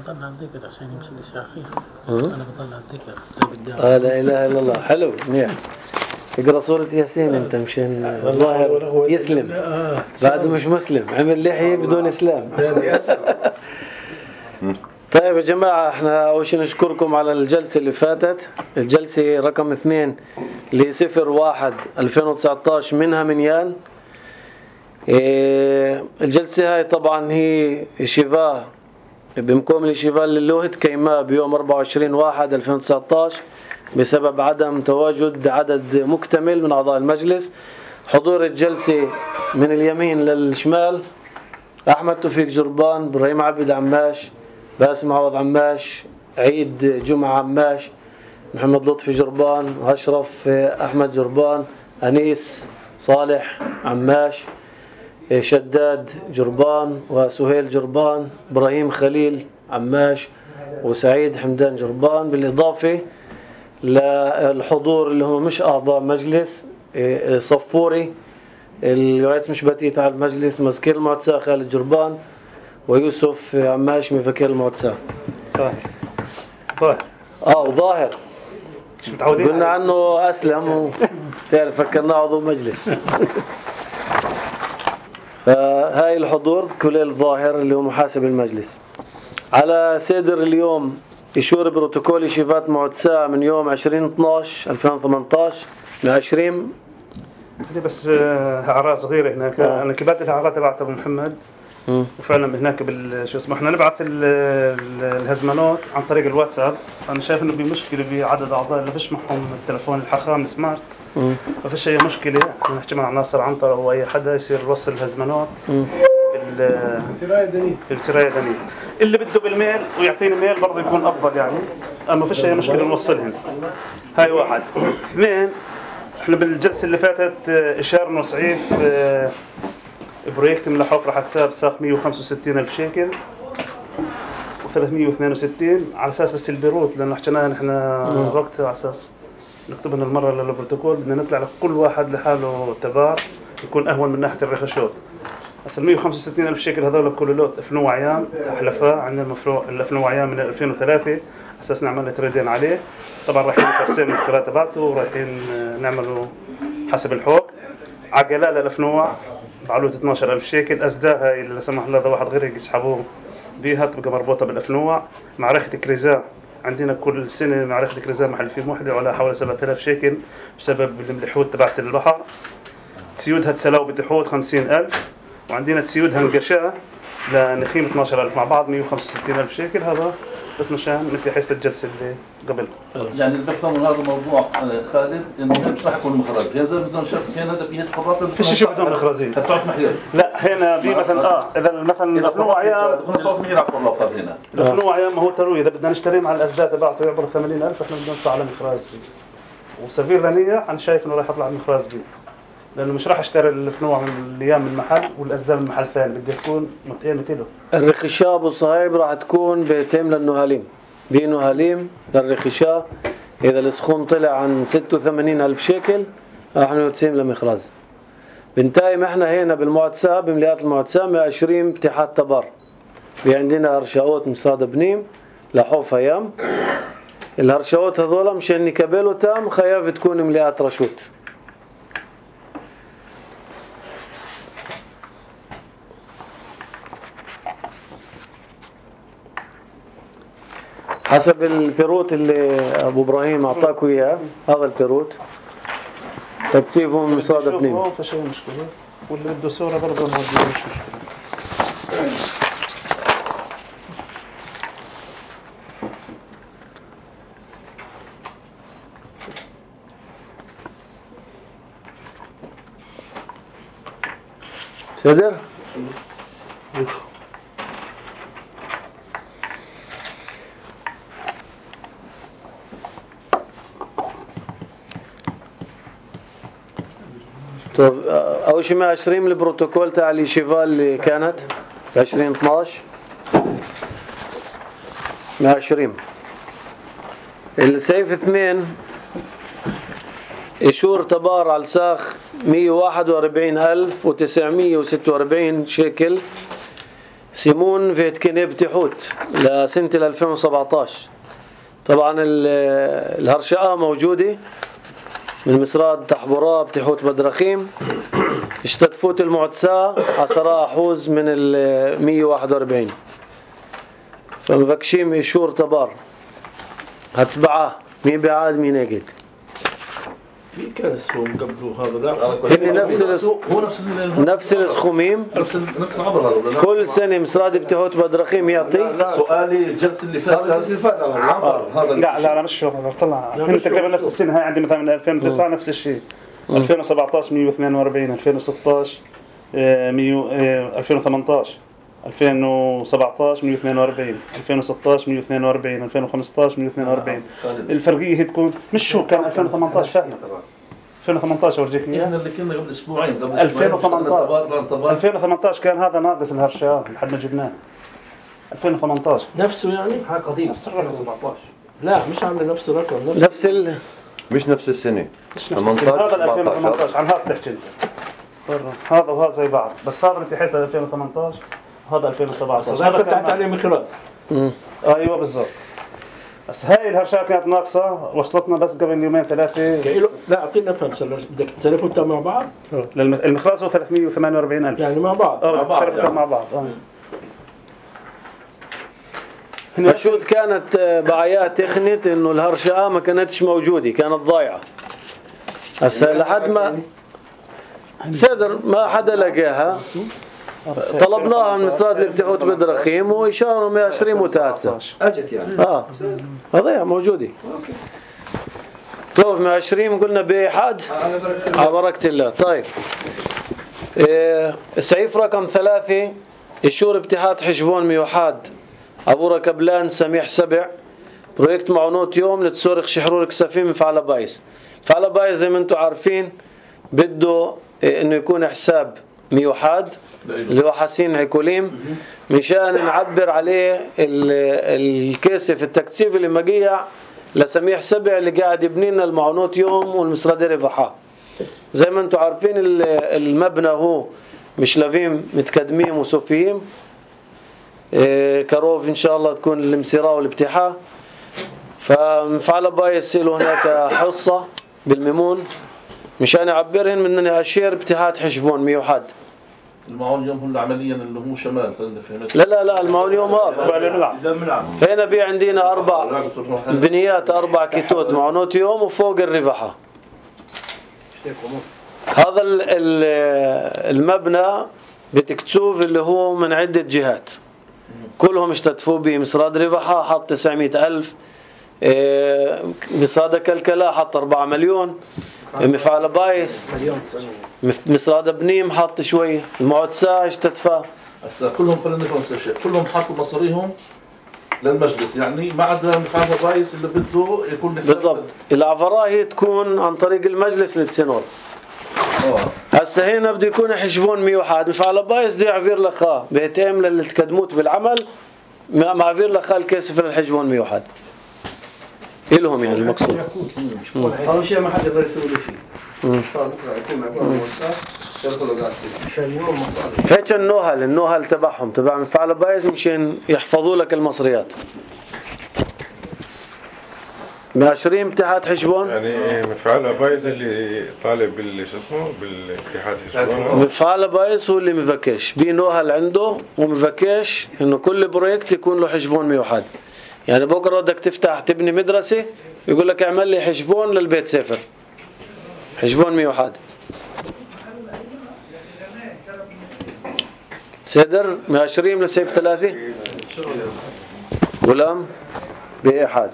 بضل على الذكر عشان يمشي للشافعي. أنا بضل على الذكر زي بالدعاء. لا إله إلا الله. حلو منيح. اقرأ سورة ياسين أنت مشان الظاهر يسلم. بعده مش مسلم، عمل لحية بدون إسلام. طيب يا جماعة، احنا أول شيء نشكركم على الجلسة اللي فاتت، الجلسة رقم 2 اللي 01/2019 منها منيال. الجلسة هاي طبعا هي شفاء بمقام الشفاء للوهة كيماء بيوم 24/1/2019 بسبب عدم تواجد عدد مكتمل من أعضاء المجلس. حضور الجلسة من اليمين للشمال: أحمد توفيق جربان، إبراهيم عبد عماش، باسم عوض عماش، عيد جمعة عماش، محمد لطفي جربان، أشرف أحمد جربان، أنيس صالح عماش، شداد جربان، وسهيل جربان، إبراهيم خليل عماش، وسعيد حمدان جربان. بالإضافة للحضور اللي هم مش أعضاء مجلس: صفوري الرئيس مش بتيت على المجلس، مذكير المعتسى خالد جربان، ويوسف عماش مفكر المعتسى. وظاهر قلنا عنه أسلم تعرف فكرنا عضو مجلس. فهاي الحضور كل الظاهر اللي هو محاسب المجلس. على صدر اليوم إشور بروتوكول شفات معتسى من يوم 20/12/2018 من 20. بس أعراض صغيرة هناك. أنا كبات الأعراض تبعت أبو محمد، وفعلا هناك شو اسمه احنا نبعث الهزمانات عن طريق الواتساب. أنا شايف إنه بمشكلة بعدد أعضاء اللي فيش معهم التلفون الحخام السمارت، ما فيش أي مشكلة. احنا نحكي مع ناصر عنتر أو أي حدا يصير يوصل الهزمانات بالسراية دنيا. اللي بده بالميل ويعطيني ميل برضه يكون أفضل يعني. ما فيش أي مشكلة نوصلهم. هاي واحد. 2، احنا بالجلسة اللي فاتت إشارنا صعيد بروجكت من الحفر حتساب ساق 165,000 شيكل و362 على أساس بس البيروت، لأنه حكيناها نحن وقت على أساس نكتبنا المرة للبروتوكول بدنا نطلع لكل واحد لحاله تبع يكون أهون من ناحية الرخشوت. بس 165,000 شيكل هذول كل لوت أفنو عيان حلفاء عندنا المفروع الأفنو عيان من 2003 أساس نعمل تريدين عليه. طبعا رايحين نفرسين الكرات تبعته ورايحين نعمله حسب الحوق. عجلة الأفنوع بعلوة 12,000 شيكل. أزداها اللي لا سمح الله واحد غير يسحبوه بيها تبقى مربوطة بالأفنوع. معركة كريزا عندنا كل سنة معركة كريزا محل فيه موحدة وعلى حوالي 7,000 شيكل بسبب الملحوت تبعت البحر. تسيودها تسلاو بتحوت 50,000، وعندنا تسيودها انقشاء لنخيم 12,000 مع بعض 165,000 شيكل. هذا بس مشان مثل حيث الجلسة اللي قبل. يعني اللي بفهم من هذا الموضوع خالد إنه مش راح يكون مخرج. هذا مثلا شاف كان هذا بيهت خبرات. فيش شيء بدون مخرجين. هتصعد محيط. لا هنا بي مثلا إذا مثلا الأفنوع عيان هتصعد محيط على الأوقات هنا. الأفنوع عيان ما هو تروي. إذا بدنا نشتري مع الأزداد تبعته يعبر 80,000، إحنا بدنا نطلع على مخراج بي. وسفير لانية أنا شايف إنه راح يطلع مخراج بي، لأنه مش راح اشتري الفنوع من الأيام من المحل والأزداد من محل ثاني. بدي تكون متقيمة له. الرخشة أبو صهيب راح تكون بيتم للنهاليم. بنهاليم للرخشة إذا السخون طلع عن 86,000 شيكل راح نتسيم لمخراز. بنتايم احنا هنا بالمعتسى بمليات المعتسى 120 اتحاد تبر. عندنا هرشاوت مصاد بنيم لحوف ايام. الهرشاوت هذولا مشان نكبلوا تام خياف تكون مليات رشوت. حسب البيروت اللي ابو ابراهيم اعطاكوا اياه، هذا البيروت تسيبهم مصاد بنيم. ما فيش مشكله، واللي بده صوره برضه ما مش مشكله. صدر طب أول شيء 120 من البروتوكول تاع الشيفال اللي كانت 2012 120. السيف 2 إشور تبار على الساخ 141,946 شيكل سيمون فيتكيني بتحوت لسنة 2017. طبعا الهرشقة موجودة من مسراد تحبورا بتحوت بدرخيم. اشتتفوت المعتساء 10 أحوز من 141. فمبكشيم إشور تبار هتسبعة مين بعاد مين اجد في كاس هو قبله هذا هن نفس السخوميم نفس العبر هذا. كل سنة مسراد بتحوت بدرخيم يعطي. سؤالي الجلسة اللي فاتت العبر هذا. لا مش شغل طلع هن تقريبا نفس السنة. هاي عندي مثلا من 2009 نفس الشيء. 2017 142 2016 2018 2017 142 2016 142 2015 142. الفرقية هي تكون مش شو كان 2018 فعلا 2018 ورجيك اياه. احنا اللي كنا قبل اسبوعين 2018 كان هذا ناقص الهرشان لحد ما جبناه 2018 نفسه يعني هاي قديم نفس الرقم 17. لا مش عامل نفس الرقم مش نفس السنة 18 هذا 2018 عن هذا تحكي انت. هذا وهذا زي بعض بس هذا انت حسب 2018 هذا 2017 هذا كنت عليه من خلاص. ايوه بالضبط. بس هاي الهرشات كانت ناقصة وصلتنا بس قبل يومين ثلاثة. لا أعطينا فهمس بدك تسلفوا انت مع بعض. المخلاص هو 348,000 يعني مع بعض. تسلفوا مع بعض. مشهود كانت بعيات تخنت انه الهرشقة ما كانتش موجودة كانت ضايعة. هسه لحد ما صدر ما حدا لقاها طلبناها من مسراد اللي بتحوت بدرخيم وإشاروا 120 متأسى أجت يعني هذا موجودة. طوف 120 قلنا بإحاد على بركة الله. طيب السعيف رقم 3 إشور ابتحاد حشبون ميوحاد أبو ركبلان سميح سبع بروجكت معونوت يوم لتسورخ شحرور كسفين مفعل بايس. مفعل بايس زي ما انتم عارفين بده انه يكون حساب ميوحاد اللي هو حسين عيكوليم مشان نعبر عليه الكاسف التكثيف اللي مقيع لسميح سبع اللي قاعد يبني لنا المعونوت يوم والمسرادة رفحة. زي ما انتم عارفين المبنى هو مش لافيم متقدمين وصوفيين كروف إن شاء الله تكون الامسراء والابتحاء. فمفعل بايس له هناك حصة بالميمون مشان يعبرهن من أشير ابتحات حشبون ميوحد. المعون اليوم هو عمليا اللي هو شمال فهمت. لا المعون اليوم هنا بي عندنا 4 بنيات 4 كيتوت معونوت يوم وفوق الرفحة. هذا المبنى بتكتوف اللي هو من عدة جهات كلهم اشتتفوا به. مسراد رفحة حط 900,000 مسراد كلكلا حط 4 مليون مفعل بايس مسراد بنيم حط شوي المعتساء اشتتفى هسه كلهم خلينا نفهم الشيء كلهم حطوا مصاريهم للمجلس يعني ما عدا مفعل بايس اللي بده يكون بالضبط. العفراء هي تكون عن طريق المجلس للسنور. هسه هنا بده يكون حشبون ميوحد مفعل بايس بده يعفير لخا بيتم للي تقدموت بالعمل معفير لخا الكاسف للحشبون ميوحد إلهم يعني المقصود. أول شيء ما حد يقدر يسوي له شيء. صار بكرة يكون معقول موسع يدخلوا قاسي. عشان يوم مصاري. هيك النوهل تبعهم تبع مفعل بايس مشان يحفظوا لك المصريات. 120 ابتحاد حشبون. يعني مفعل بايس اللي طالب بالاتحاد حشبون. مفعل بايس هو اللي مفكش بينوهل عنده ومفكش إنه كل بروجكت يكون له حشبون ميوحد. يعني بكرة بدك تفتح تبني مدرسة يقول لك اعمل لي حشبون للبيت سفر حشبون ميوحد. سدر 120 لسيف 3 غلام بإحاد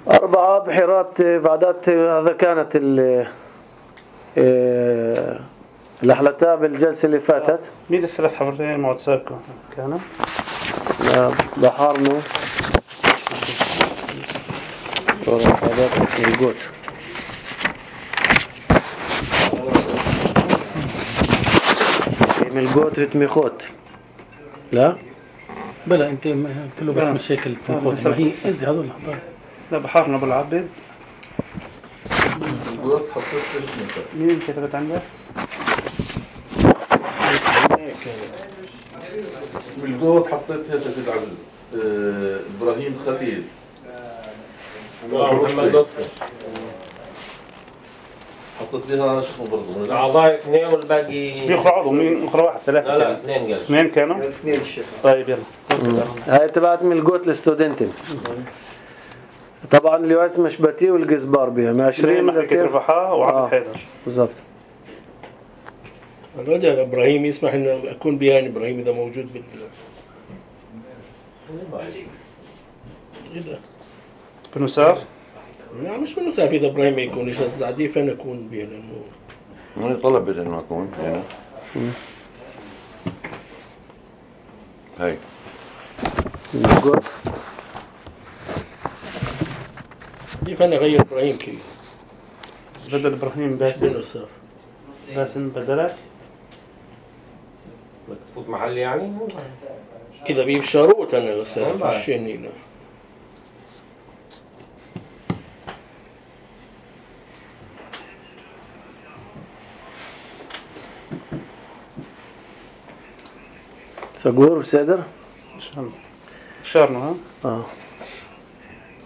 4 بحيرات بعدات. هذا كانت الأحلتها بالجلسة اللي فاتت. مين الثلاث حفرتين معتساكو كانوا بحارنا هذا الجوت الجوت بتميخوت لا بلا انت كله بس مشاكل تميخوت ما هي انت هذول الحضار. لا بحارنا بالعبد الجوت حطيت مين كتبت عندك بالجود حطيت هيك يا سيد عزيز ابراهيم خليل محمد لطفي حطيت فيها شو برضه الاعضاء اثنين والباقي بيقرأوا مين اخرى واحد ثلاثة لا كانوا. اثنين قال اثنين كانوا. اثنين الشيخ. طيب يلا. هاي تبعت من الجوت لستودنتين. طبعا اليوعز مشبتي والجزبار بها من 20 محركة رفحاء وعبد حيدر. بالضبط. الرجل ابراهيم يسمح انه اكون بيان ابراهيم اذا موجود بنسار. لا مش بنسار اذا ابراهيم يكون ايش الزعدي فين اكون بيه لانه أنا طلبت إنه أكون هنا. هاي. الجوت. كيف انا اغير ابراهيم كيف؟ بس بدل ابراهيم باسم. بنسار باسم بدلك. بدك تفوت محل يعني؟ اذا بيه شروط انا استاذ مشيني له. سقور بسادر. ان شاء الله. شارنا ها.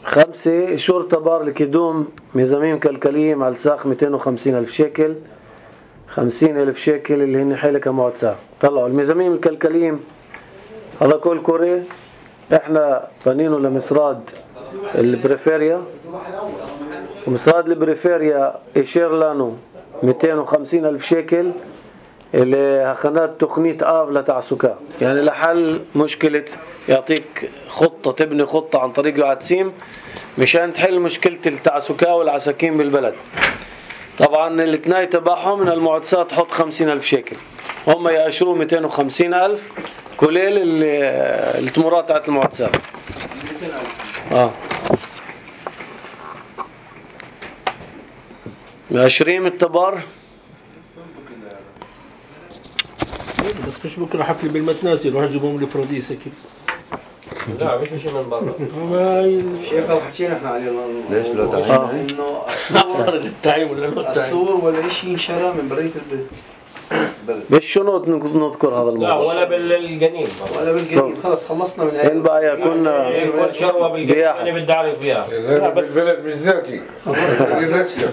5 شرطة بار لكدوم ميزاميم كلكلية على الساق 250,000 شيكل. 50,000 شيكل اللي هن حيلة كمعتساق. طلعوا الميزاميم الكلكلية هذا كل كوري احنا بنينه لمصراد البريفيريا، ومصراد البريفيريا اشير لانو 250,000 شيكل اللي هخنات تقنية آف لتعسكا، يعني لحل مشكلة يعطيك خطة تبني خطة عن طريق يعتسيم مشان تحل مشكلة التعسكا والعساكين بالبلد. طبعا الاثنين تبعهم من المعتسات تحط 50,000 شيكل، هم يأشروا 250,000 كليل التمرات تاعت المعتسات. 20 التبار. بس مش بكره حفل بالمتناسي يروح يجيبهم لي فروديس اكيد. لا مش شيء من برا. شيخ حكينا احنا عليه ليش لا تعين؟ انه صار التعيين ولا لا التعيين؟ السور ولا شيء ينشرى من برية البيت. بالشنوط نذكر هذا لا الموضوع. ولا بالجنين ولا بالجديد خلص خلصنا من إن بقى كنا كل شروة بالجنين اللي بدي أعرف فيها. لا بالبلد مش ذاتي.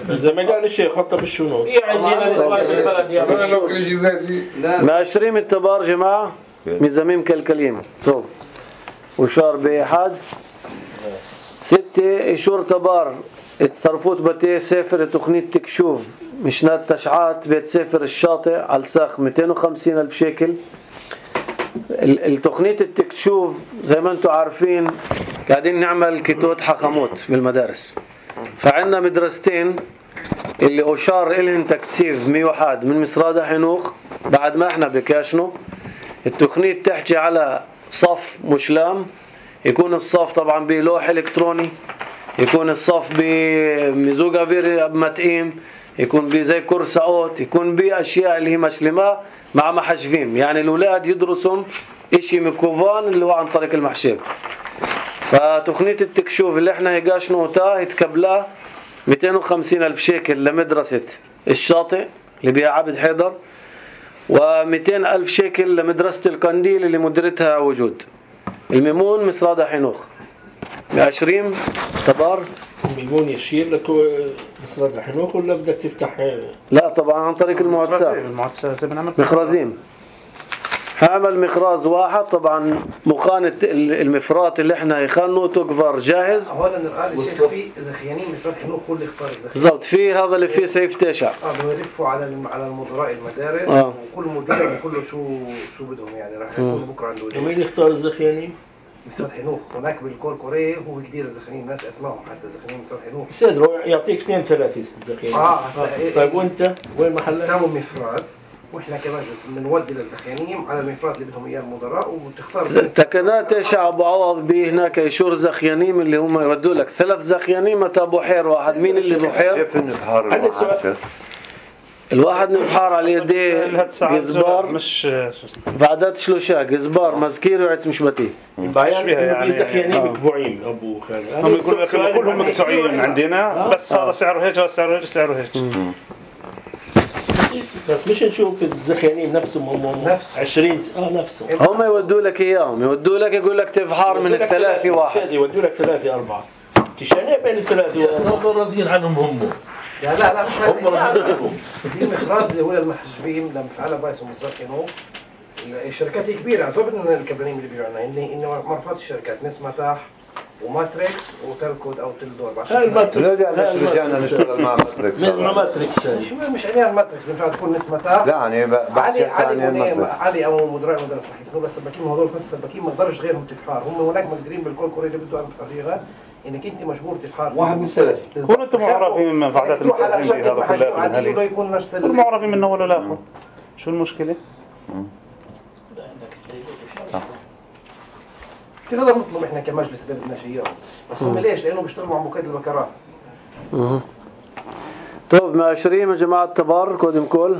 زي ما قال الشيخ حطها بالشنوط. إيه عندنا نسوان بالبلد يا أنا لو كل شيء ذاتي. ما 20 التبار جماعة ميزاميم كالكليم طب وشار بأحد. 6 إشور تبار اتصرفوت بتي سافر تقنية تكشوف مشنات تشعات بيت سافر الشاطئ على الساق 250,000 شيكل. التقنية التكشوف زي ما انتم عارفين قاعدين نعمل كيتوت حخاموت بالمدارس، فعندنا مدرستين اللي أشار إلهن تكتيف 101 من مصرادة حنوخ بعد ما احنا بكاشنو. التقنية تحكي على صف مشلام، يكون الصف طبعا بلوح إلكتروني، يكون الصف بمزوجة فيري متقيم، يكون بزي كرسعوت، يكون بأشياء اللي هي مشلمة مع محشفين، يعني الأولاد يدرسهم إشي مكوفان اللي هو عن طريق المحشب. فتقنية التكشوف اللي احنا هيقاش نوتا يتكبلها 250,000 شيكل لمدرسة الشاطئ اللي بيها عبد حيدر، و200,000 شيكل لمدرسة القنديل اللي مديرتها وجود. الميمون مصرادة حنوخ 20 تبار. الميمون يشير لك مصراد الحنوخ ولا بدك تفتح؟ لا طبعا عن طريق المعتسات مخرزين. هعمل مخراز واحد طبعا مخانة المفرات اللي احنا يخانو تكفر جاهز. اولا الآن الشيخ في زخيانين مصراد حنوخ هو اللي اختار الزخيان بالضبط، في هذا اللي فيه سيف تشع بيلفوا على المدراء المدارس وكل مدير بيقول له شو بدهم، يعني راح يكونوا بكره عنده. مين يختار الزخيانين؟ مصراد حنوخ هناك بالكور كوري هو كثير الزخيانين الناس اسمائهم حتى زخيانين مصراد حنوخ. سيدرو يعطيك 2 3 زخيانين. طيب وانت وين محلك؟ ساموا مفراد واحنا كمجلس بنودي للزخيانين على المفرات اللي بدهم اياه المدراء وتختار. تكنات تشع ابو عوض به هناك يشور زخيانين اللي هم يودوا لك 3 زخيانين متى بحير واحد. مين اللي بحير؟ كيف النبحار الواحد؟ الواحد نبحار على يديه جزبار مش بعدات شلوشا جزبار مزكير وعتس مش بتي يعني زخيانين مكفوعين ابو خالد. هم يقولوا كلهم مكسوعين عندنا بس هذا سعره هيك وهذا سعره هيك سعره هيك. بس مش نشوف الزخيانين نفسهم هم نفس 20 نفسهم هم يودوا لك اياهم، يودوا لك يقول لك تفحر من الثلاثة واحد، يودوا لك 3 4 تشاني بين الثلاثة هذول راضيين عنهم هم. لا مش هم راضيين عنهم. في مخراج اللي هو المحجبين لما فعلها بايس ومسرقينه. الشركات كبيرة عزوب من الكبرانين اللي بيجوا عنا إنه مرفوض الشركات ناس متاح وماتريكس وتلكود أو تلدور. رجعنا نشتغل مع ماتريكس. مع ماتريكس مش عليها الماتريكس بينفع تكون ناس متاح. لا يعني علي أو مدراء صحيح بس السباكين هذول كنت السباكين ما قدرش غيرهم تفحار. هم هناك مقدرين بالكل كوري اللي بدوا تفحيرها إنك أنت مجبور تفحار. واحد من 3. كونوا أنتم معرفين من فعاليات المستأذنين بهذا كلها. كل معرفين من أول لآخر. شو المشكلة؟ كده نطلب احنا كمجلس إدارة بدنا شيء بس هم ليش؟ لأنه بيشتغلوا مع مكاتب البكرات. طيب 120 يا جماعة تبار كودم كول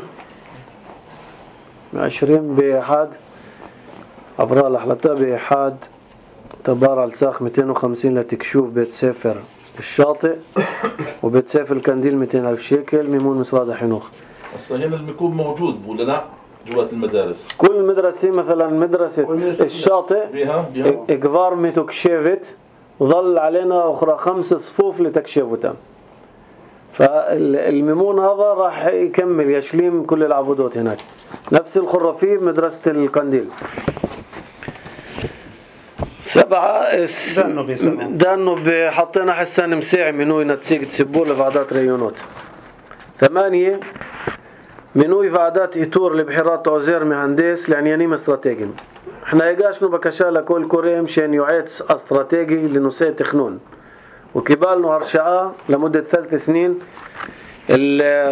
120 بحاد أبرال أحلتا بحاد تبار على الساخ 250 لتكشوف بيت سافر الشاطئ وبيت سافر الكنديل 200,000 شيكل ميمون مصراد حنوخ. هسه هنا الميكون موجود ولا لا؟ جوات المدارس كل مدرسة مثلا مدرسة الشاطئ إقفار متكشفت وظل علينا أخرى 5 صفوف لتكشفتها. فالميمون هذا راح يكمل يشليم كل العبودات هناك. نفس الخرافي مدرسة القنديل. 7 دانو حطينا حسان مساعي منوي نتسيق تسبور لفعدات ريونات. 8 منوي فعدات إيتور لبحيرات عزير مهندس لعنيانيم استراتيجي. احنا يقاشنو بكشالة كل كوريم شان يعيد استراتيجي لنساء تخنون وكبالنو هرشعاء لمدة 3 سنين.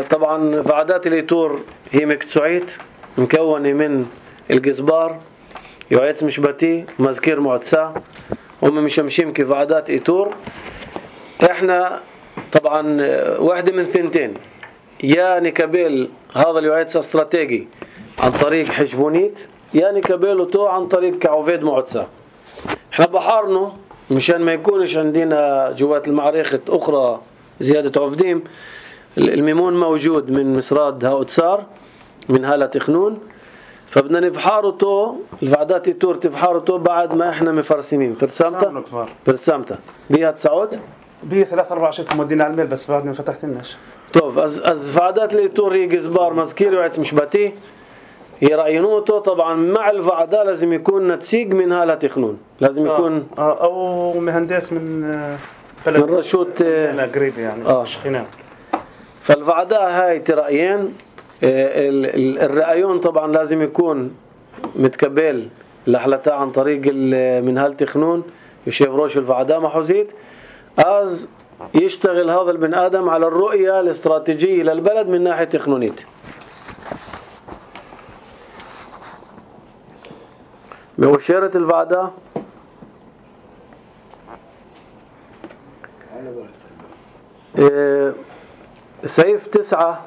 طبعا فعدات الإيتور هي مكتسوعيت مكونة من الجزبار يعيد مشبتي مذكير معتسى هم مشمشيم كفعدات إيتور. احنا طبعا واحدة من ثنتين يا نكبل هذا اليعيد استراتيجي عن طريق حشبونيت يا نكبله تو عن طريق كعوفيد معتسى. احنا بحارنه مشان ما يكونش عندنا جوات المعركة أخرى زيادة عفديم. الميمون موجود من مسراد هاوتسار من هالة تخنون فبدنا نفحارته الفعدات التور تفحارته بعد ما احنا مفرسمين فرسامته بيها تسعود بيه 3-4 شيء مودينا على الميل بس بعد ما فتحتناش. طيب از فعدات الإيتور هي جزبار مذكير وعيت مشبتي يرأينوته طبعا مع الفعدة لازم يكون نتسيق من هالة تخنون لازم يكون أو مهندس من بلد من رشوت قريب يعني شخينان. فالفعدة هاي ترأيين الرأيون طبعا لازم يكون متكبل لحلتها عن طريق من هالة تخنون يشيف روش الفعدة محوزيت از يشتغل هذا البن آدم على الرؤية الاستراتيجية للبلد من ناحية تخنونيت. بوشيرة الفعدة سيف 9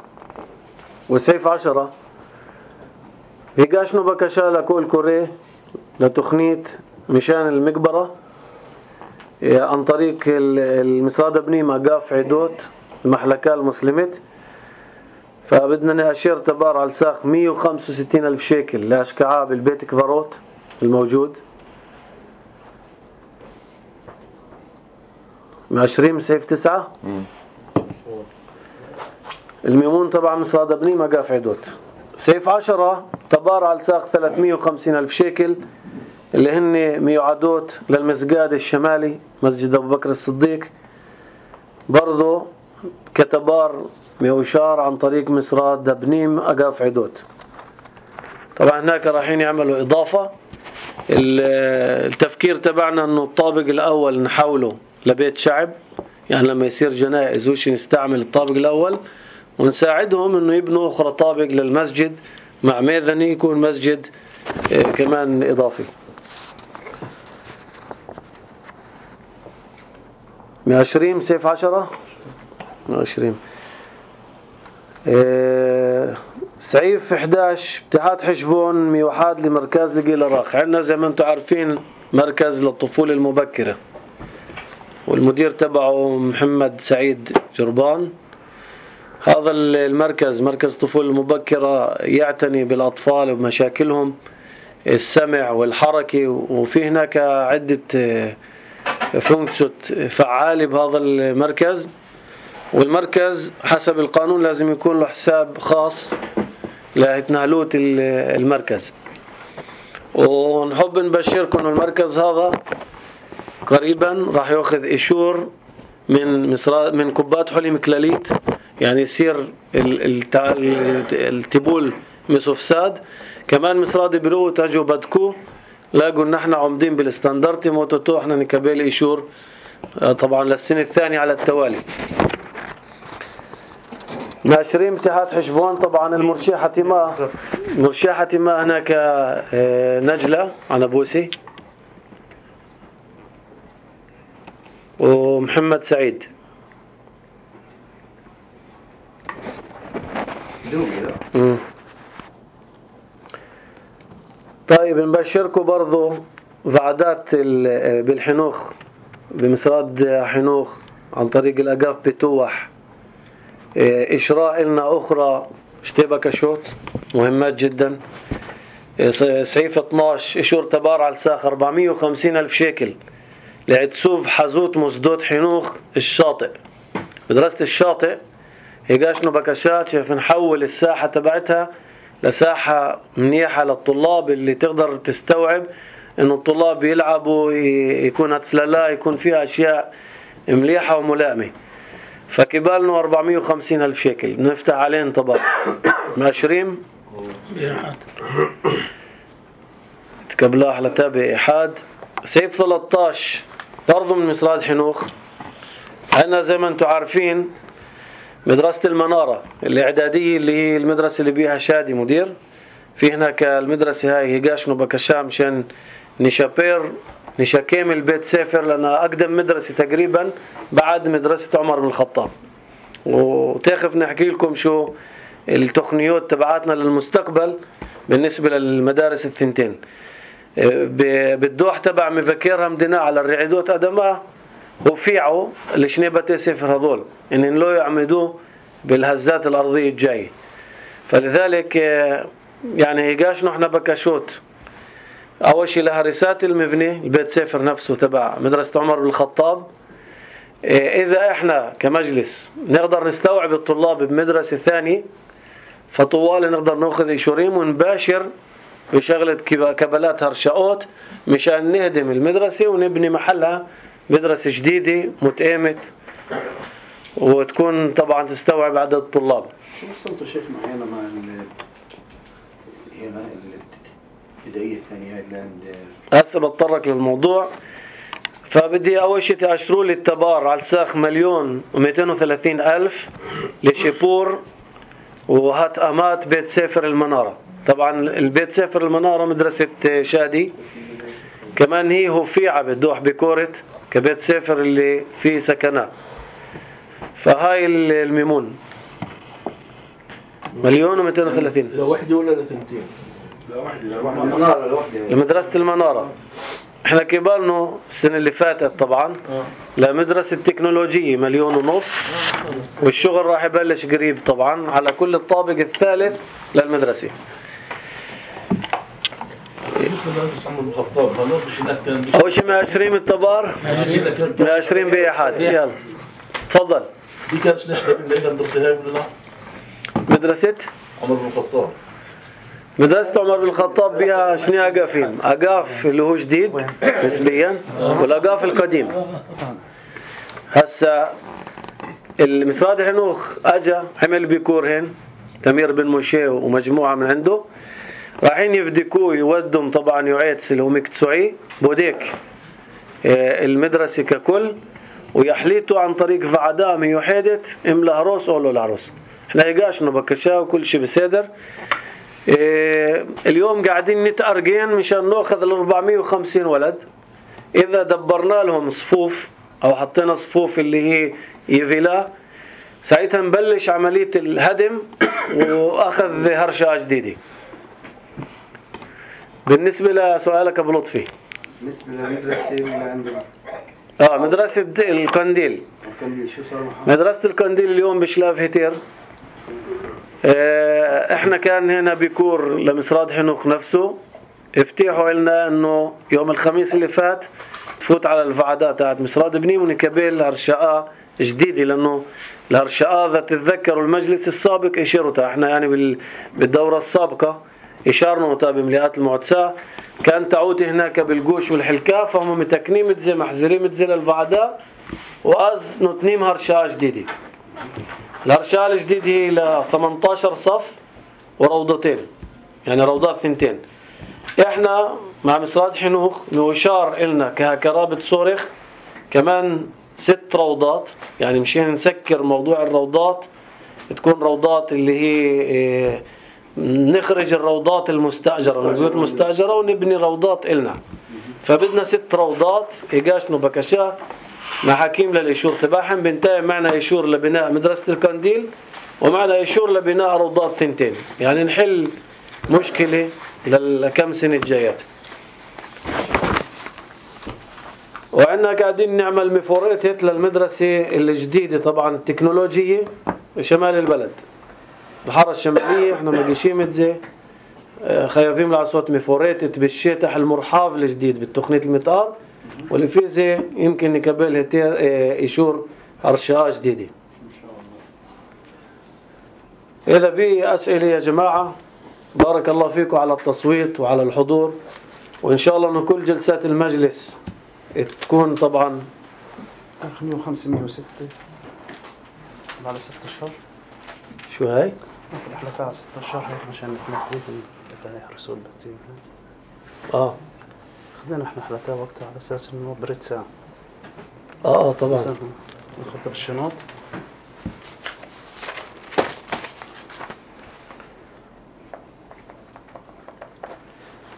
وسيف 10 هيقاشنو بكشا لكل كوري لتخنيت مشان المقبرة عن طريق المسراد بني مقاف عدوت المحلكة المسلمت. فبدنا نأشير تبار على الساق 165,000 شيكل لأشكعاء بالبيت كفاروت الموجود 20 سيف 9 الميمون طبعا مسراد بني مقاف عدوت. سيف 10 تبار على الساق 350,000 شيكل اللي هن ميعادوت للمسجد الشمالي مسجد أبو بكر الصديق برضو كتبار ميوشار عن طريق مسراد دبنيم أقاف عدوت. طبعا هناك رايحين يعملوا إضافة. التفكير تبعنا أنه الطابق الأول نحوله لبيت شعب يعني لما يصير جنائز وش نستعمل الطابق الأول ونساعدهم أنه يبنوا أخرى طابق للمسجد مع ميذني يكون مسجد كمان إضافي. 120 سيف 10 120 سعيف 11 اتحاد حشبون ميوحاد لمركز لقيل راخ. عندنا زي ما انتم عارفين مركز للطفولة المبكرة والمدير تبعه محمد سعيد جربان هذا المركز مركز طفولة المبكرة يعتني بالأطفال ومشاكلهم السمع والحركة، وفي هناك عدة فونكسيون فعالة بهذا المركز. والمركز حسب القانون لازم يكون له حساب خاص لتنهلوت المركز. ونحب نبشركم المركز هذا قريبا راح ياخذ إشور من كبات حلي مكلاليت، يعني يصير التبول مسوفساد. كمان مصراد برو تاجوا بدكو لاقوا ان احنا عمدين بالستاندرد موتوتو احنا نكبل إشور طبعا للسنة الثانية على التوالي. ناشرين مساحات حشبون طبعا المرشحة ماء هناك نجلة عنبوسي ومحمد سعيد. طيب نبشركم برضو وعدات بالحنوخ بمسراد حنوخ عن طريق الأقاف بتوح إشراء لنا أخرى اشتبك شوط مهمات جدا. سعيف 12 إشور تبار على الساخ 450,000 شيكل لعتسوف حزوت مسدود حنوخ الشاطئ. مدرسة الشاطئ هيقاشنو بكشات شايف نحول الساحة تبعتها لساحة منيحة للطلاب اللي تقدر تستوعب انه الطلاب يلعبوا، يكون هتسلالا، يكون فيها اشياء مليحة وملائمة. فكبالنا 450,000 شيكل نفتح عليهم طبعا ماشرين تكبلاح لتابع إحاد. سيف 13 برضو من مصراد حنوخ. عندنا زي ما انتم عارفين مدرسة المنارة الإعدادية اللي هي المدرسة اللي بيها شادي مدير. في هناك المدرسة هاي هيقاشنو بكشام مشان نشاكيم البيت سافر لأنها أقدم مدرسة تقريبا بعد مدرسة عمر بن الخطاب. وتاخف نحكي لكم شو التقنيات تبعاتنا للمستقبل بالنسبة للمدارس الثنتين. بالدوح تبع مفكرها مدينة على الرعيدوت أدماء وفيعوا الشنيبة سفر هذول إن لو يعمدوه بالهزات الأرضية الجاية. فلذلك يعني هيقاش نحن بكشوت أول شيء لهرسات المبنى البيت سفر نفسه تبع مدرسة عمر بن الخطاب. إذا إحنا كمجلس نقدر نستوعب الطلاب بمدرسة ثانية فطوال نقدر نأخذ إشوريم ونباشر بشغلة كبلات هرشاوت مشان نهدم المدرسة ونبني محلها مدرسة جديدة متآمت وتكون طبعا تستوعب عدد الطلاب. شو وصلتوا شيخنا هنا مع البداية الثانية اللي عند هسه بتطرق للموضوع. فبدي أول شيء تأشروا لي التبار على الساخ 1,230,000 لشيبور وهات أمات بيت سافر المنارة. طبعا البيت سافر المنارة مدرسة شادي كمان هي هوفيعة بالدوح بكورت كبيت سافر اللي فيه سكنات. فهاي الميمون 1,230,000 لوحدة ولا لثنتين؟ لوحدة لمدرسة المنارة. احنا كبالنا السنة اللي فاتت طبعا لمدرسة التكنولوجية 1,500,000 والشغل راح يبلش قريب طبعا على كل الطابق الثالث للمدرسة. أول شيء 120 التبار 120 بإحاد. يلا تفضل. دي كانت نشبه بالليلة مدرسة هاي ولا لا؟ مدرسة عمر بن الخطاب. مدرسة عمر بن الخطاب بها شنو أقافين؟ أقاف اللي هو جديد نسبيا والأقاف القديم. هسا المسراد حنوخ أجا عمل بيكورهن تمير بن مشي ومجموعة من عنده رايحين يفدكوه يودهم طبعا يعيتس اللي هو مكتسوعي بوديك المدرسة ككل ويحليته عن طريق فعدامي وحيدت ام العروس أولو العروس. احنا يقاشنا بكشا وكل شيء بسيدر. اليوم قاعدين نتأرجين مشان نأخذ 450 ولد. إذا دبرنا لهم صفوف أو حطينا صفوف اللي هي يفيلا ساعتها نبلش عملية الهدم وأخذ هرشة جديدة. بالنسبة لسؤالك أبو لطفي بالنسبة للمدرسة اللي عندنا مدرسة القنديل. شو صار مدرسة القنديل اليوم بشلاف هتير احنا كان هنا بكور لمصراد حنوخ نفسه افتتحوا لنا انه يوم الخميس اللي فات تفوت على الفعادات تاعت مصراد بنيم ونكبل هرشقة جديدة، لانه الهرشقة اذا تتذكروا المجلس السابق اشيرتها احنا يعني بالدورة السابقة اشارنا بمليات المعتسى كان تعود هناك بالجوش والحلكة، فهم متكنين متزي محزرين متزي للفعادة واز نتنيم هرشقة جديدة. الهرشقة الجديدة هي ل 18 صف وروضتين، يعني روضات ثنتين. احنا مع مصراد حنوخ نشار إلنا كرابط صورخ كمان 6 روضات، يعني مشان نسكر موضوع الروضات تكون روضات اللي هي نخرج الروضات المستأجرة من البيوت المستأجرة ونبني روضات إلنا، فبدنا 6 روضات إيقاشنو بكشاه مع حكيم للإشور تباحم. بنتهي معنا إشور لبناء مدرسة الكنديل ومعنا إشور لبناء روضات ثنتين، يعني نحل مشكلة لكم سنة جايات. وعندنا قاعدين نعمل مفوريتت للمدرسة الجديدة طبعا التكنولوجية شمال البلد، الحارة الشمالية احنا مقيشين متزي خايفين لعصوت مفوريتت بالشتح المرحاف الجديد بالتقنية المطار، واللي فيه زي يمكن نقبل هتير إشور هرشقة جديدة. إذا في أسئلة يا جماعة بارك الله فيكم على التصويت وعلى الحضور، وإن شاء الله أن كل جلسات المجلس تكون طبعا 506 على 6 أشهر. شو هاي؟ احنا على 6 أشهر عشان احنا بدنا يحرسوا البتين. خذنا احنا حلقة وقتها على أساس إنه بريد ساعة. طبعا نخطر الشنط.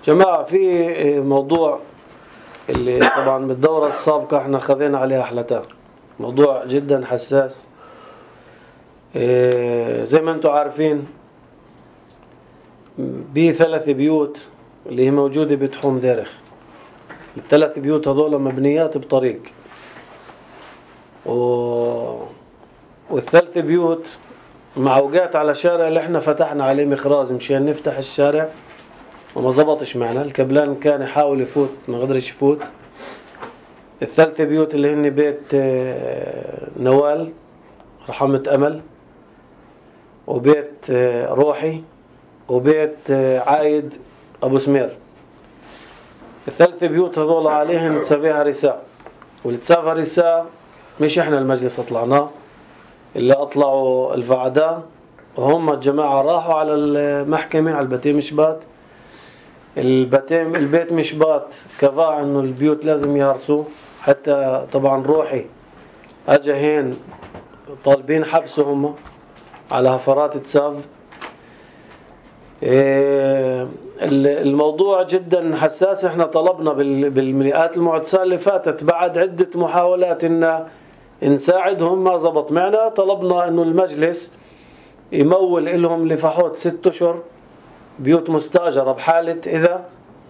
جماعة في موضوع اللي طبعا بالدورة السابقة احنا خذينا عليها حلقات، موضوع جدا حساس. زي ما انتم عارفين ب3 بيوت اللي هي موجودة بتحوم دارخ، ال3 بيوت هذول مبنيات بطريق، وال3 بيوت معوقات على شارع اللي احنا فتحنا عليه مخراز مشان نفتح الشارع وما زبطش معنا، الكبلان كان يحاول يفوت ما قدرش يفوت. ال3 بيوت اللي هن بيت نوال رحمة أمل وبيت روحي وبيت عايد أبو سمير، ال3 بيوت هذول عليهم تسافيها رساء، والتسافى رساء مش احنا المجلس اطلعناه، اللي اطلعوا الفعداء وهم الجماعة راحوا على المحكمة على البتيم مشبات. البيت مشبات كفاء انه البيوت لازم يهرسوا، حتى طبعا روحي اجا هين طالبين حبسهم على هفرات تساف. الموضوع جدا حساس، احنا طلبنا بالمئات المعتسى اللي فاتت بعد عدة محاولات ان نساعدهم ما زبط معنا، طلبنا انه المجلس يمول لهم لفحوت 6 أشهر بيوت مستأجرة بحالة إذا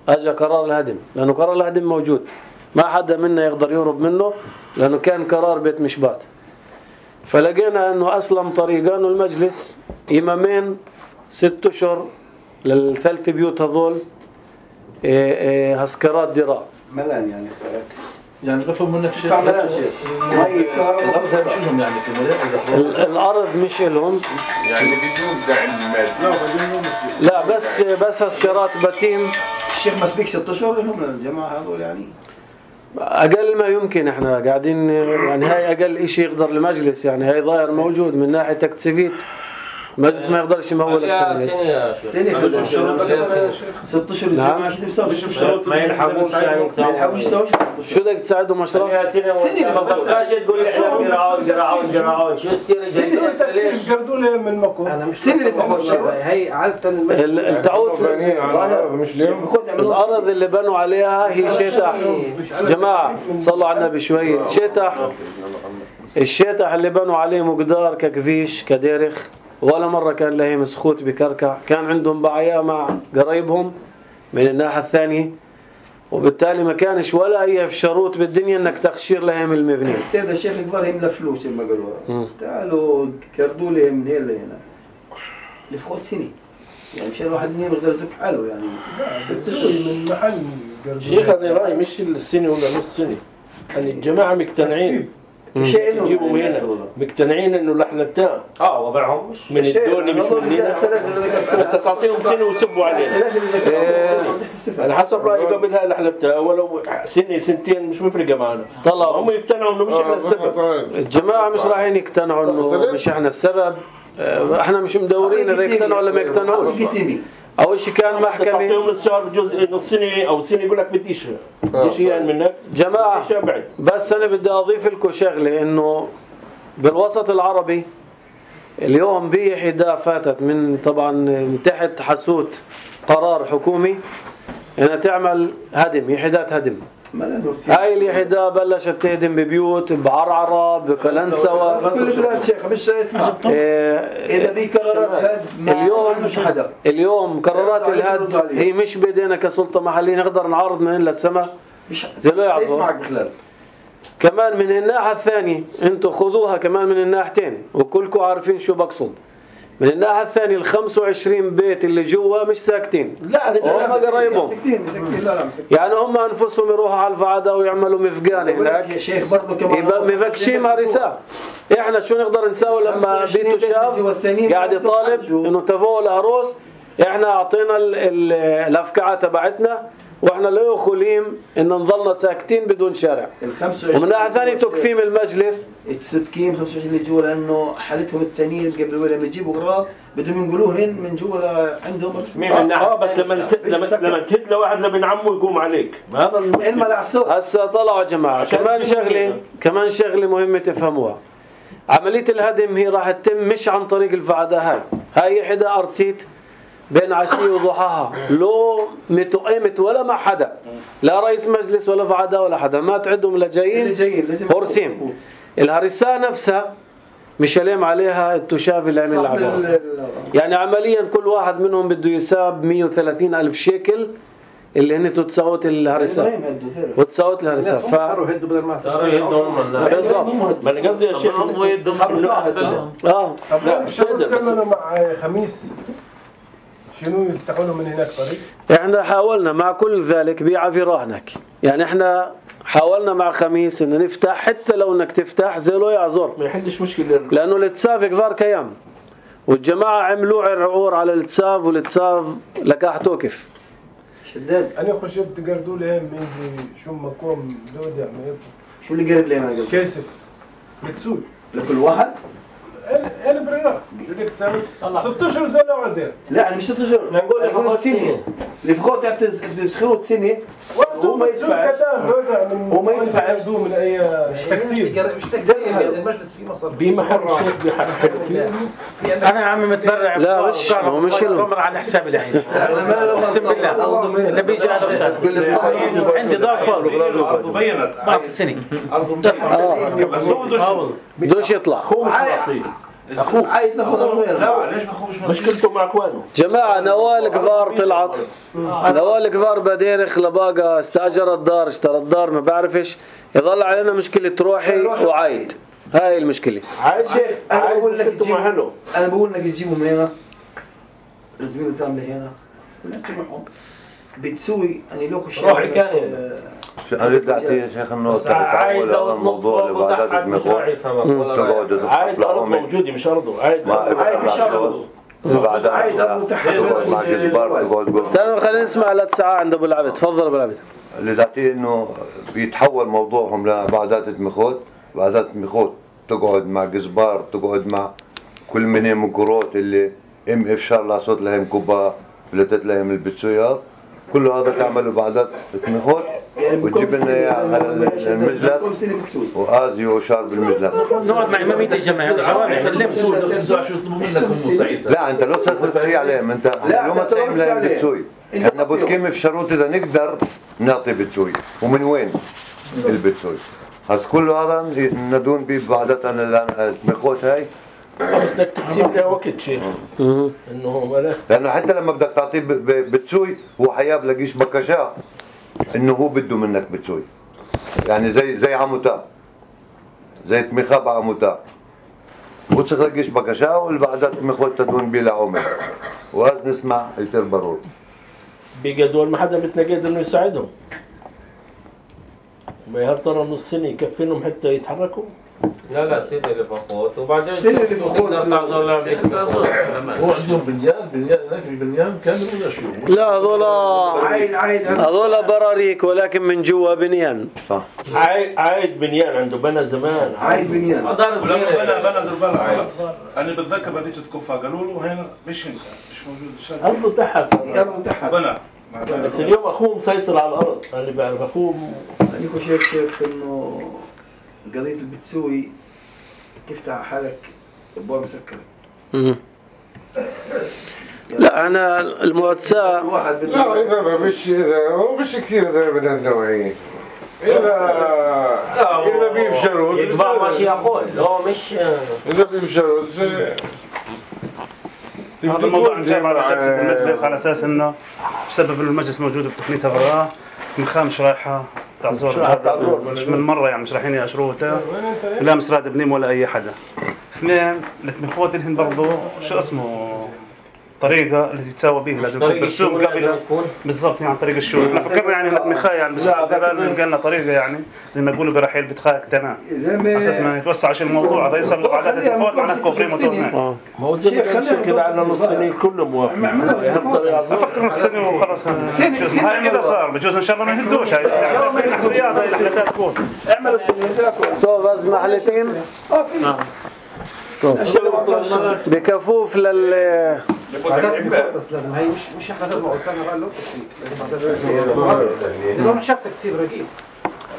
أجا قرار الهدم، لأنه قرار الهدم موجود ما حدا منا يقدر يهرب منه لأنه كان قرار بيت مشبات. فلقينا أنه أسلم طريقة أنه المجلس إمامين 6 أشهر لل3 بيوت هذول هسكرات دراء ملان يعني يعني بفهم منك شيء الأرض مش لهم يعني في الأرض مش لهم يعني بدون دعم مادي. لا بس هسكرات بتيم. الشيخ مسبيك 6 أشهر هم الجماعة هذول يعني أقل ما يمكن، احنا قاعدين يعني هاي أقل إشي يقدر المجلس، يعني هاي ضائر موجود من ناحية تكتسبيت المجلس ما يقدرش يمول أكثر من هيك. سنة 6 أشهر الجماعة شو بيسوي؟ ما يلحقوش يعني شو بدك تساعدهم أشرف؟ سنة ما بقاش تقول احنا قراعون شو السنة الجاية ليش؟ قردوا لهم من مكو السنة اللي فوق هي عادة التعود مش اليوم الأرض اللي بنوا عليها هي شتح. جماعة صلوا على النبي شوي. الشتح اللي بنوا عليه مقدار ككفيش كديرخ، ولا مرة كان لهم مسخوت بكركع، كان عندهم بعيا مع قريبهم من الناحية الثانية، وبالتالي ما كانش ولا أي شروط بالدنيا انك تخشير لهم المبنى. السيد الشيخ قال يملى فلوس ما قالوا تعالوا كردوا لهم من هنا لهنا. لفقود سنة يعني مشان الواحد منين بيقدر يزك حاله يعني 6 أشهر من محل شيخ أنا رأيي مش السنة ولا نص سنة يعني الجماعة مقتنعين يجيبوا هنا مقتنعين انه لحلتان وضعهم مش من الدولة مش من هنا انت تعطيهم سنة ويسبوا علينا على حسب رأيي قبل هاي لحلتان ولو سنة سنتين مش مفرقة معنا طلعوا هم يقتنعوا انه مش احنا السبب. الجماعة مش رايحين يقتنعوا انه مش احنا السبب. احنا مش مدورين اذا يقتنعوا ولا ما يقتنعوش. اول شيء كان محكمة تعطيهم الشهر بجزء نص سنة او سنة يقول لك بديش يعني منك جماعة. بس انا بدي اضيف لكم شغلة انه بالوسط العربي اليوم بحدة فاتت من طبعا من تحت حسوت قرار حكومي انها تعمل هدم يحدات هدم. هاي اليحدة بلشت تهدم ببيوت بعرعرة بكلنسوة كل البلاد شيخ مش اسمها اذا في قرارات اليوم مش حدا اليوم قرارات الهد هي مش بايدينا كسلطة محلية نقدر نعارض من للسماء زي لو يعرضوا كمان من الناحية الثانية انتوا خذوها كمان من الناحيتين وكلكم عارفين شو بقصد. من الناحية الثانية ال 25 بيت اللي جوا مش ساكتين. لا هم قرايبهم يعني هم انفسهم يروحوا على الفعادة ويعملوا مفقان هناك يبقى مفكشين هرساء. احنا شو نقدر نسوي لما بيته شاف قاعد يطالب انه تفوه العروس احنا اعطينا الافكعة تبعتنا واحنا لا يخليم ان نظلنا ساكتين بدون شارع. ومن ناحية ثانية تكفيم المجلس السكين 25 اللي جوا لانه حالتهم التانيين قبل ولا ما يجيبوا اغراض بدهم ينقلوهن من جوا عندهم بس لما تهد لواحد لابن عمه يقوم عليك هذا المشكلة. هسه طلعوا يا جماعة كمان شغلة مهمة تفهموها. عملية الهدم هي راح تتم مش عن طريق الفعادة. هاي حدا أرتيت بين عشية وضحاها لو متقيمت ولا مع حدا لا رئيس مجلس ولا فعادة ولا حدا ما تعدهم لجايين هورسين. الهرساء نفسها مش لام عليها التشاف اللي عمل العمل يعني عمليا كل واحد منهم بده يساب 130,000 شيكل اللي هن تتساوت الهرساء وتساوت الهرساء صاروا يهدوا بدل ما صاروا يهدوا بالضبط. ما انا قصدي يا شيخ هم يهدوا لا تكلموا مع خميس شنو يفتحوا له من هناك طريق. احنا حاولنا مع كل ذلك بيع في رهنك يعني احنا حاولنا مع خميس ان نفتح حتى لو انك تفتح زي لو يعذر ما يحلش مشكلة لانه الاتساف كثار كيام والجماعة عملوا عرعور على الاتساف والاتساف لكاح توقف شداد. انا خشيت تقردوا لهم يجي شو مقوم دودة شو اللي قرد لهم هذا كيسف بتسول لكل واحد انا بريرة بدك تسوي 6 اشهر زي لو عزير. لا انا مش 6 اشهر نقول سنة اللي فقط يعتز بسخروت سنة وما يدفع وما يدفع من اي تكتير مش تكتير المجلس فيه مصر بمحل الشيخ بحركة انا يا عمي متبرع لا مش تمر على حساب العين اقسم بالله اللي بيجي على حساب عندي ضعف ارض بينت ضعف السنة بدوش يطلع اخوه عايز ناخذ لا ليش ما اخوش مشكلته مع اخوانه جماعة. نوال كبار طلعت نوال كبار بديرخ لباقة استاجر الدار اشترى الدار ما بعرفش يظل علينا مشكلة روحي وعايد. هاي المشكلة عايد شيخ انا بقول لك تجيبوا من هنا الزميل كامل هنا ولا انت معهم بتسوي يعني لو خش روحي كان انا بدي اعطيه يا شيخ انه تعول على الموضوع لبعضات المخوض تقعدوا عايد ارض موجودة مش ارضه عايد مش ارضه عايز تقعد مع جزبار تقعد استنوا خلينا نسمع 3 ساعات عند ابو العبد. تفضل ابو العبد. اللي تعطيه انه بيتحول موضوعهم لبعضات المخوض. بعضات المخوض تقعد مع جزبار تقعد مع كل من مقروط اللي افشار لا صوت لهم كوبا فلتت لهم البتسويات كل هذا تعملوا بعضات المخوض وتجيب لنا اياه على المجلس وآزي وشارب المجلس. نقعد مع امامية الجماعة لا انت لو تسوي عليهم انت لو ما تسوي لهم بتسوي احنا بتكلم في شروط اذا نقدر نعطي بتسوي ومن وين البتسوي هذا كله هذا ندون ببعضاتنا المخوض هاي بس بدك تسيب له وقت شيخ انه لانه حتى لما بدك تعطيه بتسوي هو حياب لقيش بكشاه انه هو بده منك بتسوي يعني زي عموتا زي تمخاب عموتا وتخلقيش بكشاول بعدات تمخوت تدون بلا عمر وهذا نسمع يصير برور بقى دول ما حدا بتنقد انه يساعدهم. ما يا ترى نص سنة يكفينهم حتى يتحركوا؟ لا سنة اللي فقط وبعدين السنة اللي فقط هو عندهم بنيان هناك البنيان كان ولا شو؟ لا هذول براريك ولكن من جوا بنيان. صح. عايد بنيان عنده بنى زمان. عايد بنيان. مدار صغيرة. بنى دربالة. أنا بتذكر بديت تكفى قالوا له هنا مش موجود الشارع. أرضه تحت. بنى. بس اليوم أخوه مسيطر على الأرض. أنا بعرف أخوه. أنا شايف إنه قضية البتسوي تفتح حالك أبواب مسكرة. لا أنا المؤسسة لا إذا مش كثير زي من النوعية إذا بيفشلوا يتبع ماشي يقول هو مش إذا بيفشلوا هذا الموضوع جاي على جلسة المجلس على أساس إنه بسبب إنه المجلس موجود بتقنيتها براه مخام مش رايحة تعذر مش من مرة يعني مش رايحين يأشروها لا مسراد بنيم ولا أي حدا. اثنين التمخوت اللي هن برضو شو اسمه طريقة اللي تتساوى بيه لازم يكون برسوم قبل بالضبط يعني عن طريق الشغل. احنا فكرنا يعني التمخاء يعني بس نلقى لنا طريقة يعني زي ما يقولوا برحيل بتخاك تمام أساس ما يتوسعش الموضوع هذا يصير بعدات التمخوت معناه كوفري موتورنا. ما هو زي ما كان كده على نص سنة كله موافق. أفكر نص سنة وخلاص هاي كذا صار بجوز إن شاء الله ما يهدوش هاي احتياط هاي الحالات تكون اعملوا طب بس محلتين بكفوف لل بس لازم هي مش احنا لازم نقول سنه قال له لو شفتك تصير رقيق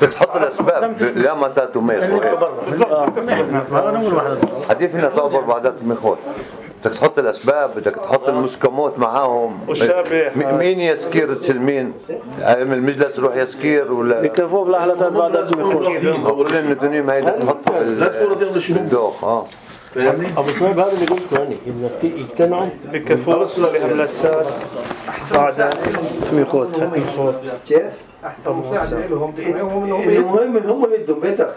بتحط الاسباب لا ما تاتوا ميت حديث هنا تعبر بعدات المخوت بدك تحط الاسباب بدك تحط المسكمات معاهم مين يسكير تسلمين المجلس يروح يسكير ولا بكفوف لحلتات بعدات المخوت اقول لنا الدنيا ما هي تحطها بالدوخ أبو صعب هذا اللي قلته يعني إنك يقتنعوا بكفوف لهملاتسات بعد تميخوت كيف؟ أحسن مساعدة لهم المهم هم يدوا بيتك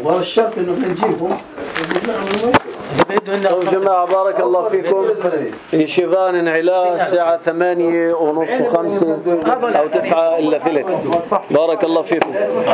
وهذا الشرط إنه نجيبهم يا جماعة بارك الله فيكم شيفان انعلاء الساعة 8:30 و5 أو 9 إلا ثلث بارك الله فيكم.